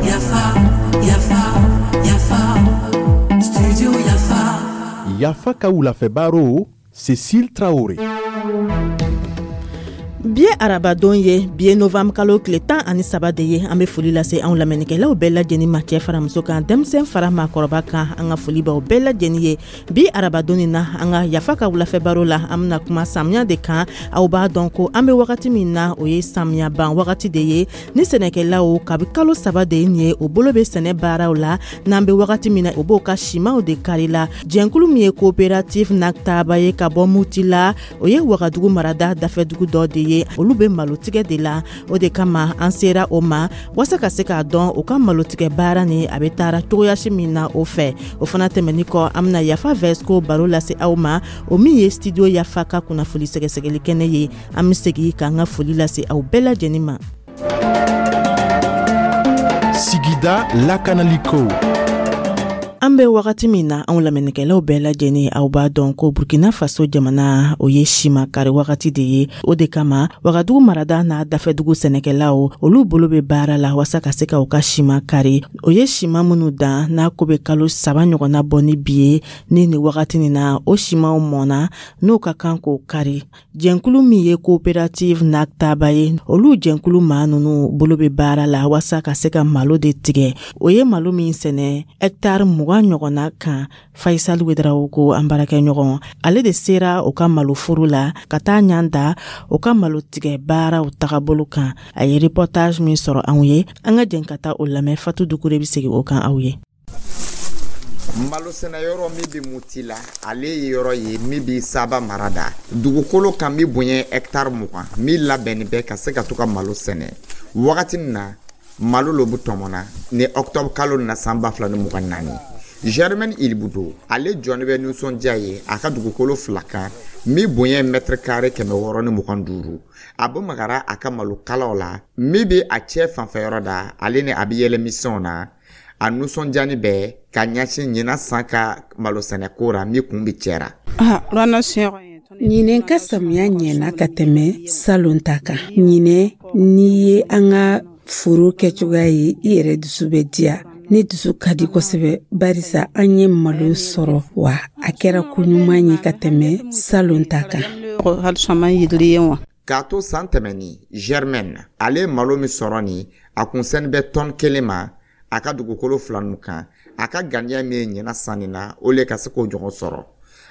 Yafa, Yafa, Yafa, Studio Yafa. Yafa ka wulafɛ baro, Cécile Traoré. Bi ye arabadon ye, bi ye novembre kalo tile 13 de ye. An bɛ foli lase anw lamɛnnikɛlaw bɛɛ lajɛlen ma, cɛ fara muso kan, denmisɛn fara maakɔrɔba kan. An ka foli b'aw bɛɛ lajɛlen ye bi arabadon nin na. An ka Yafa ka wulafɛ baro la, an bɛna kuma samiya de kan. Aw b'a dɔn ko an bɛ wagati min na, o ye samiya ban wagati de ye ni sɛnɛkɛlaw kabi kalo 3 de ye nin ye, o bolo bɛ sɛnɛ baaraw la. N'an bɛ wagati min na, o b'o ka simaw de kari la. Jɛnkulu min ye coopérative Naktaba ye ka bɔ Mutila, o ye Wagadugu marada dafɛdugu dɔ de ye, olu bɛ malotigɛ de la. O de kama an sera o ma walasa ka se k'a dɔn u ka malotigɛ baara ni a bɛ taara cogoyasi min na. O fɛ, o fana tɛmɛni kɔ, an bɛna Yafa Vɛsiko baro lase aw ma, o min ye Studio Yafa ka kunnafoni sɛgɛsɛgɛli kɛnɛ ye. An bɛ segin k'an ka foli lase aw bɛɛ lajɛlen ma. Sigida lakanaliko. An bɛ wagati min na, anw lamɛnnikɛlaw bɛɛ lajɛlen, aw b'a dɔn ko Burkina Faso jamana, o ye sima kari wagati de ye. O de kama Wagadugu marada n'a dafɛdugu sɛnɛkɛlaw, olu bolo bɛ baara la waasa ka se ka u ka sima kari. O ye sima minnu dan n'a ko bɛ kalo 3 ɲɔgɔnna bɔ ni bi ye, ni nin wagati nin na, o simaw mɔnna, n'o ka kan k'o kari. Jɛnkulu min ye coopérative Naktaba ye, olu jɛnkulu maa ninnu bolo bɛ baara la waasa ka se ka malo de tigɛ. O ye malo min sɛnɛ hɛkitari 20 ɲɔgɔnna kan. Faisal Wedrawogo, an baarakɛɲɔgɔn, ale de sera u ka maloforo la ka taa ɲan da u ka malo tigɛ baaraw tagabolo kan. A ye reportage min sɔrɔ anw ye, an ka jɛn ka taa o lamɛn. Fatu Dukure bɛ segin o kan aw ye. Malo sɛnɛyɔrɔ min bɛ Mutila, ale ye yɔrɔ ye min bɛ Saba mara da dugukolo kan min bonya hɛkitari 20, min labɛnnin bɛ ka se ka to ka malo sɛnɛ. Wagati min na malo lo bɛ tɔmɔna ni octobre kalo na san 2024, Germaine Ilibudo, ale jɔni bɛ nisɔndiya ye a ka dugukolo fila kan min bonya mètre carré 625. A bɛ magara a ka malo kalaw la min bɛ a cɛ fanfɛyɔrɔ da, ale ni a bɛ yɛlɛmisɛnw na. A nisɔndiyani bɛ ka ɲɛsin ɲinan san ka malo sɛnɛko ra min kun bɛ cɛra. Ɲinɛ ka samiya ɲɛna ka tɛmɛ salon ta kan. Ɲinɛ, n'i ye an ka foro kɛcogoya ye, i yɛrɛ dusu bɛ diya. Ne dusu ka di kosɛbɛ barisa an ye malo sɔrɔ, wa a kɛra ko ɲuman ye ka tɛmɛ salon ta kan. K'a to san tɛmɛnin, Germaine, ale ye malo min sɔrɔ nin, a kun sɛni bɛ tɔni 1 ma a ka dugukolo fila ninnu kan. A ka ganiya min ye ɲinan sanni na, o le ka se k'o ɲɔgɔn sɔrɔ.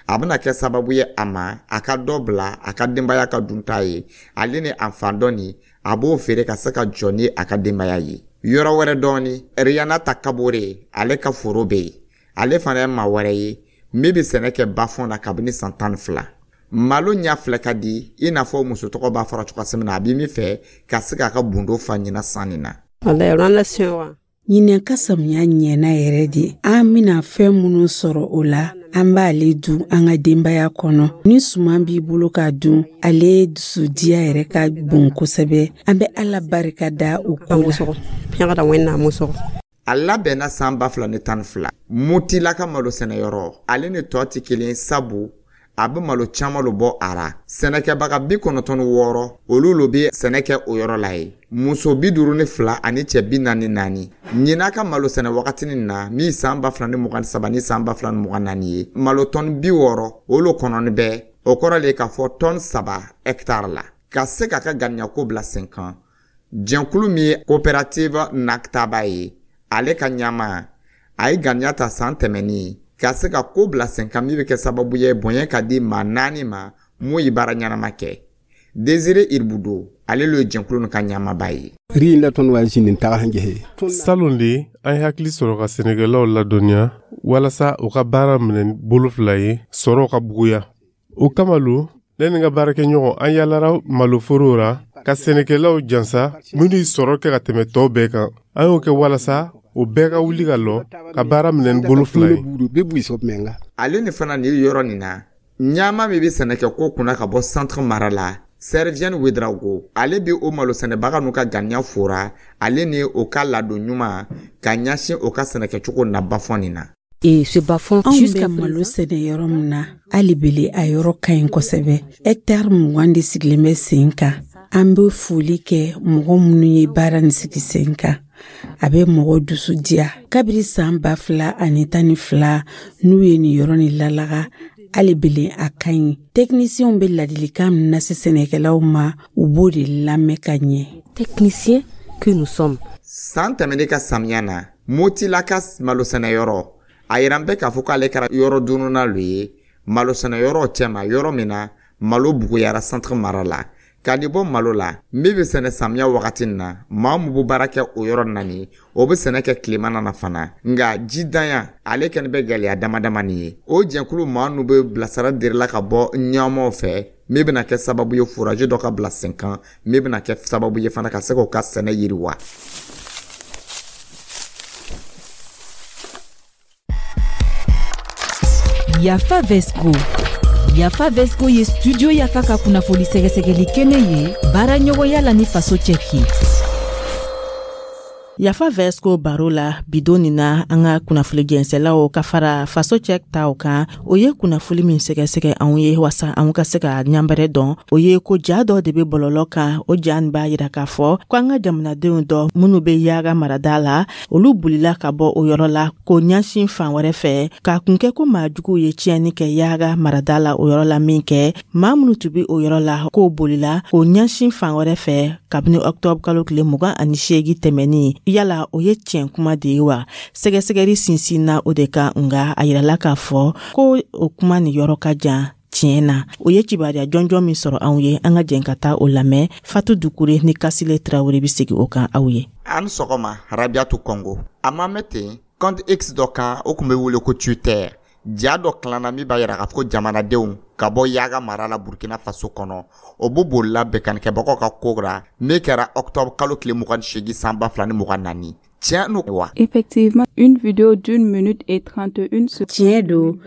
A bɛna kɛ sababu ye a ma a ka dɔ bila a ka denbaya ka dunta ye, ale ni a fan dɔ nin, a b'o feere ka se ka jɔ ni a ka denbaya ye. Yɔrɔ wɛrɛ dɔɔni, Rihanna ta Kabore, ale ka foro bɛ yen. Ale fana ye maa wɛrɛ ye min bɛ sɛnɛ kɛ bafɔn na kabini san 12. Malo ɲɛ filɛ ka di i n'a fɔ muso tɔgɔ b'a fɔra cogoya min na, a bɛ min fɛ ka se k'a ka bundo fa ɲinan sanni na. Ɲinɛ ka samiya ɲɛna yɛrɛ de. An bɛna fɛn minnu sɔrɔ o la, an b'ale dun an ka denbaya kɔnɔ. Ni suman b'i bolo k'a dun, ale dusudiya yɛrɛ ka bon kosɛbɛ. An bɛ Ala barika da o ko la. A labɛnna san 2012. Mutila ka malo sɛnɛyɔrɔ, ale ni tɔ tɛ kelen, sabu a bɛ malo caman lo bɔ a ra. Sɛnɛkɛbaga 96, olu lo bɛ sɛnɛ kɛ o yɔrɔ la ye, muso 52 ani cɛ 44. Ɲinan ka malo sɛnɛ wagati na min san 2023 ni san 2024 ye, malo tɔni 60, o lo kɔnɔni bɛ. O kɔrɔ le k'a fɔ tɔni 3 hɛkitari la. Ka se k'a ka ganiyako bila sen kan, jɛnkulu min ye coopérative Naktaba ye, ale ka ɲama, a ye ganiya ta san tɛmɛnin ka se ka ko bila sen kan min bɛ kɛ sababu ye bonya ka di maa naani ma mun ye baara ɲɛnama kɛ. Désiré Iribudo, ale lo ye jɛnkulu ka ɲamaba ye. Salon de, an ye hakili sɔrɔ ka sɛnɛkɛlaw ladɔnniya walasa u ka baara minɛ bolo fila ye, sɔrɔ ka buguya. O kama lo ne ni n ka baarakɛɲɔgɔn, an yaalara maloforow ra ka sɛnɛkɛlaw jansa minnu ye sɔrɔ kɛ ka tɛmɛ tɔw bɛɛ kan. An y'o kɛ walasa o bɛɛ ka wuli ka lɔ ka baara minɛ ni bolo fila ye. Ale ni fana nin yɔrɔ nin na, ɲama min bɛ sɛnɛkɛ ko kunna ka bɔ Centre mara la, Servienne Wedrago, ale bɛ o malo sɛnɛbaga n'u ka ganiya fora, ale ni o ka ladon ɲuman ka ɲɛsin o ka sɛnɛkɛcogo na bafɔn nin na. Anw bɛ malo sɛnɛ yɔrɔ min na, hali bele a yɔrɔ ka ɲi kosɛbɛ. Hɛkitari 20 de sigilen bɛ sen kan. An bɛ foli kɛ mɔgɔ minnu ye baara nin sigi sen kan. A bɛ mɔgɔ dusu diya. Kabiri san 2012, n'u ye nin yɔrɔ nin lalaga, hali belen a ka ɲi. Tɛkinisiyɛnw bɛ ladilikan min lase sɛnɛkɛlaw ma, u b'o de lamɛn ka ɲɛ. Techniciens que nous sommes. San tɛmɛnen ka samiya na, Motila ka malosɛnɛyɔrɔ, a yiran bɛ k'a fɔ k'ale kɛra yɔrɔ dununa lo ye malosɛnɛyɔrɔ cɛma, yɔrɔ min na malo buguyara Centre mara la. K'a di bɔ malo la min bɛ sɛnɛ samiya wagati na, maa min bɛ baara kɛ o yɔrɔ nani, o bɛ sɛnɛ kɛ tilema nana fana, nka jidanya ale kɛni bɛ gɛlɛya dama damani ye. O jɛnkulu maa nu bɛ bilasira dirila ka bɔ ɲɛmɔgɔw fɛ, min bɛna kɛ sababu ye forage dɔ ka bila sen kan, min bɛna kɛ sababu ye fana ka se k'o ka sɛnɛ yiriwa. Yafa Vesco. Yafa Vesco ye Studio Yafa ka kunnafoni sɛgɛsɛgɛli kɛnɛ ye baara ɲɔgɔnya la ni Faso Cɛki. Yafa Vesco baro la bidon nin na, an ka kunnafoni jɛnsɛlaw ka fara Faso Cɛ taw kan, o ye kunnafoni min sɛgɛsɛgɛ anw ye wasa anw ka se ka ɲanbɛrɛ dɔn, o ye ko ja dɔ de bɛ bɔlɔlɔ kan. O ja nin b'a yira k'a fɔ ko an ka jamanadenw dɔ minnu bɛ Yaga marada la, olu bolila ka bɔ o yɔrɔ la k'o ɲɛsin fan wɛrɛ fɛ, k'a kun kɛ ko maa juguw ye tiɲɛni kɛ Yaga marada la o yɔrɔ la min kɛ, maa minnu tun bɛ o yɔrɔ la, k'o bolila k'o ɲɛsin fan wɛrɛ fɛ kabini ɔkutɔburu kalo tile 28 tɛmɛnin. Yala o ye tiɲɛ kuma de ye wa? Sɛgɛsɛgɛli sinsinna o de kan, nka a yirala k'a fɔ ko o kuma nin yɔrɔ ka jan tiɲɛ na. O ye kibaruya jɔnjɔn min sɔrɔ anw ye, an ka jɛn ka taa o lamɛn. Fatu Dukure ni Kasile Tarawele bɛ segin o kan aw ye. An sɔgɔma, Rabiatu Kɔngo. A ma mɛn ten, compte X dɔ kan, o tun bɛ wele ko Twitter, ja dɔ tilanna min b'a yira k'a fɔ ko jamanadenw ka bɔ Yaga mara la Burkina Faso kɔnɔ, o b'u bolila bɛnkanikɛbagaw ka ko ra min kɛra octobre kalo tile 28 san 2024. Tiɲɛ n'o wa? Effectivement, une vidéo d'1 minute et 31 secondes. Tiɲɛ don,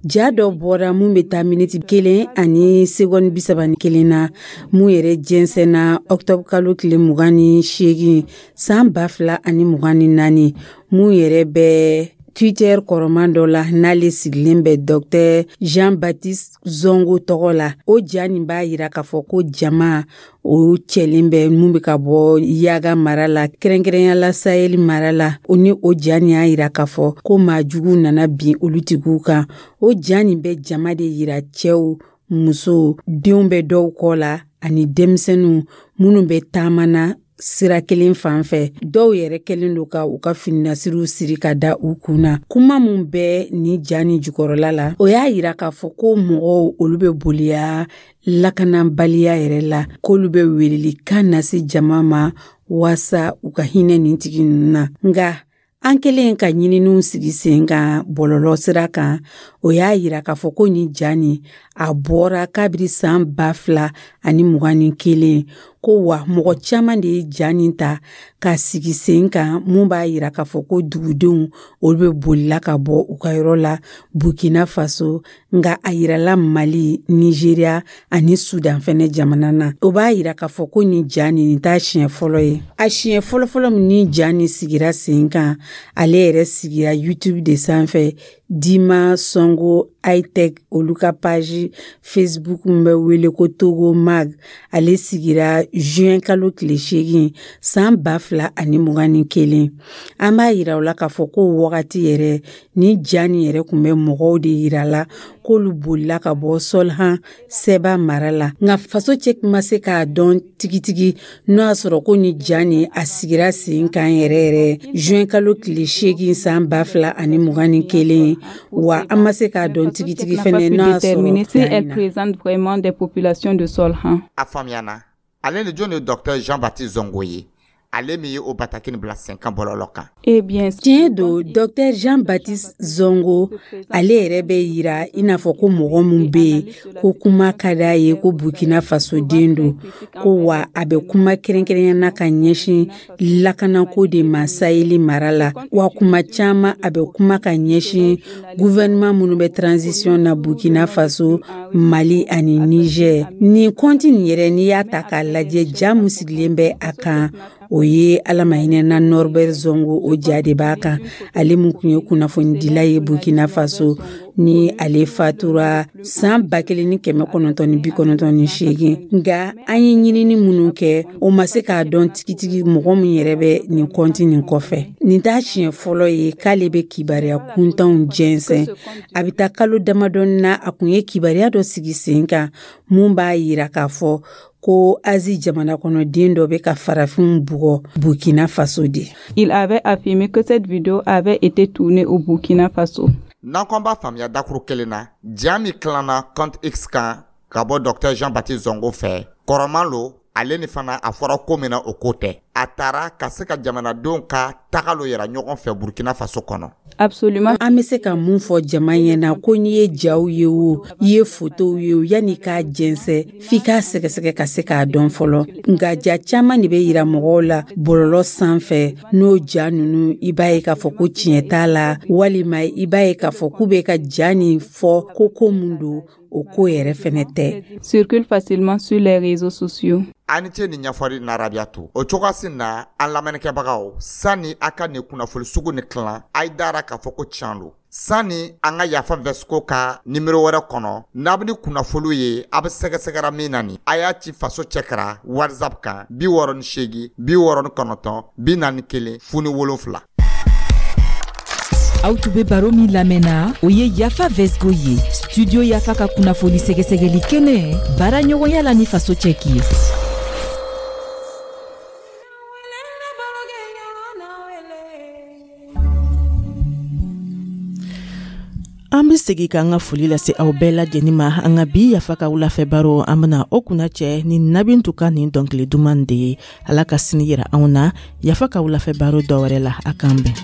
ja dɔ bɔra mun bɛ taa miniti 1 ani segɔni 31 na, mun yɛrɛ jɛnsɛnna ɔkutɔburu kalo tile 28 san 2024, mun yɛrɛ bɛ Twitter kɔrɔman dɔ la, n'ale sigilen bɛ Dr Jean-Baptiste Zongo tɔgɔ la. O ja nin b'a yira k'a fɔ ko jama o cɛlen bɛ mun bɛ ka bɔ Yaga mara la, kɛrɛnkɛrɛnya la Sahel mara la. O ni o ja nin y'a yira k'a fɔ ko maa jugu nana bin olu tigiw kan. O ja nin bɛ jama de yira, cɛw, musow, denw bɛ dɔw kɔ la ani denmisɛnninw minnu bɛ taama na sira kelen fan fɛ. Dɔw yɛrɛ kɛlen don ka u ka fininasiriw siri ka da u kun na. Kuma mun bɛ ni ja ni jukɔrɔla la, o y'a yira k'a fɔ ko mɔgɔw olu bɛ boliya lakanabaliya yɛrɛ la, k'olu bɛ welelikan lase jama ma waasa u ka hinɛ nin tigi ninnu na. Nka an kɛlen ka ɲininiw sigi sen kan bɔlɔlɔ sira kan, o y'a yira k'a fɔ ko nin ja nin a bɔra kabiri san 2021, ko wa mɔgɔ caman de ye ja nin ta ka sigi sen kan, mun b'a yira k'a fɔ ko dugudenw olu bɛ bolila ka bɔ u ka yɔrɔ la Burkina Faso. Nka a yirala Mali, Nigeria ani Sudan fɛnɛ jamana na. O b'a yira k'a fɔ ko nin ja nin t'a siɲɛ fɔlɔ ye. A siɲɛ fɔlɔfɔlɔ min ni ja nin sigira sen kan, ale yɛrɛ sigira YouTube de sanfɛ, Dima Songo Hightech olu ka page Facebook min bɛ wele ko Togo Mag. Ale sigira juin kalo tile 8 san 2021. An b'a yira o la k'a fɔ ko wagati yɛrɛ ni ja nin yɛrɛ tun bɛ mɔgɔw de yira la k'olu bolila ka bɔ Solhan Sɛba mara la. Nka Faso Cɛ ma se k'a dɔn tigitigi n'o y'a sɔrɔ ko ni ja nin a sigira sen kan yɛrɛ yɛrɛ juin kalo tile 8 san 2021, wa an ma se k'a dɔn tigitigi fɛnɛ n'o y'a sɔrɔ si elle présente vraiment des populations de Solhan. A faamuyana. Ale ni jɔn ye Docteur Jean Baptiste Zongo ye, ale min ye o bataki nin bila sen kan bɔlɔlɔ kan? Eh bien, tiɲɛ don, Dr Jean Baptiste Zongo, ale yɛrɛ bɛ yira i n'a fɔ ko mɔgɔ min bɛ yen ko kuma ka d'a ye, ko Burkina Faso den don, ko wa a bɛ kuma kɛrɛnkɛrɛnya na ka ɲɛsin lakanako de ma Saheli mara la. Wa kuma caman a bɛ kuma ka ɲɛsin gouvernement minnu bɛ transition na Burkina Faso, Mali ani Niger. Nin kɔnti nin yɛrɛ, n'i y'a ta k'a lajɛ, ja mun sigilen bɛ a kan. O ye Ala ma hinɛna Norbert Zongo, o ja de b'a kan, ale mun tun ye kunnafonidila ye Burkina Faso, ni ale fatura san 1998. Nka an ye ɲinini minnu kɛ, o ma se k'a dɔn tigitigi mɔgɔ min yɛrɛ bɛ nin kɔnti nin kɔfɛ. Nin t'a siɲɛ fɔlɔ ye k'ale bɛ kibaruya kuntanw jɛnsɛn. A bɛ taa kalo damadɔni na, a kun ye kibaruya dɔ sigi sen kan mun b'a yira k'a fɔ ko Azi jamana kɔnɔden dɔ bɛ ka farafinw bugɔ Burkina Faso de. Il avait affirmé que cette vidéo avait été tournée au Burkina Faso. N'an ko an b'a faamuya dakuru kelen na, ja min tilanna compte X kan ka bɔ Dr Jean Baptiste Zongo fɛ, kɔrɔman lo. Ale ni fana, a fɔra ko min na, o ko tɛ. A taara ka se ka jamanadenw ka taga lo yira ɲɔgɔn fɛ Burkina Faso kɔnɔ. Absolument. An bɛ se ka mun fɔ jama ɲɛna? Ko n'i ye jaw ye, o i ye fotow ye, o yanni k'a jɛnsɛ, f'i k'a sɛgɛsɛgɛ ka se k'a dɔn fɔlɔ. Nka ja caman de bɛ yira mɔgɔw la bɔlɔlɔ sanfɛ. N'o ja ninnu, i b'a ye k'a fɔ ko tiɲɛ t'a la, walima i b'a ye k'a fɔ k'u bɛ ka ja nin fɔ ko ko mun don, o ko yɛrɛ fɛnɛ tɛ. Circule facilement sur les réseaux sociaux. A ni ce ni ɲɛfɔli na, Rabiyatu. O cogoyasi na, an lamɛnnikɛbagaw, sani a ka nin kunnafoni sugu ni tilan, a ye dara k'a fɔ ko tiɲɛ don. Sani an ka Yafa Vɛsiko ka nimero wɛrɛ kɔnɔ, n'a bɛ ni kunnafoniw ye, a bɛ sɛgɛsɛgɛra min na, nin a y'a ci Faso cɛkara WhatsApp kan: 68 69 41 07. Aw tun bɛ baro min lamɛnna, o ye Yafa Vɛsiko ye, Studio Yafa ka kunnafoni sɛgɛsɛgɛli kɛnɛ, baara ɲɔgɔnya la ni Faso cɛki ye. An be segi k'an ka foli lase aw bɛɛ lajɛnin ma. An ka bi Yafa ka wulafɛ baro, an bena o kunna cɛ ni Nabintu ka nin dɔnkili duman de ye. Ala ka sini yira anw na Yafa ka wulafɛ baro dɔwɛrɛ la. A k'an bɛn.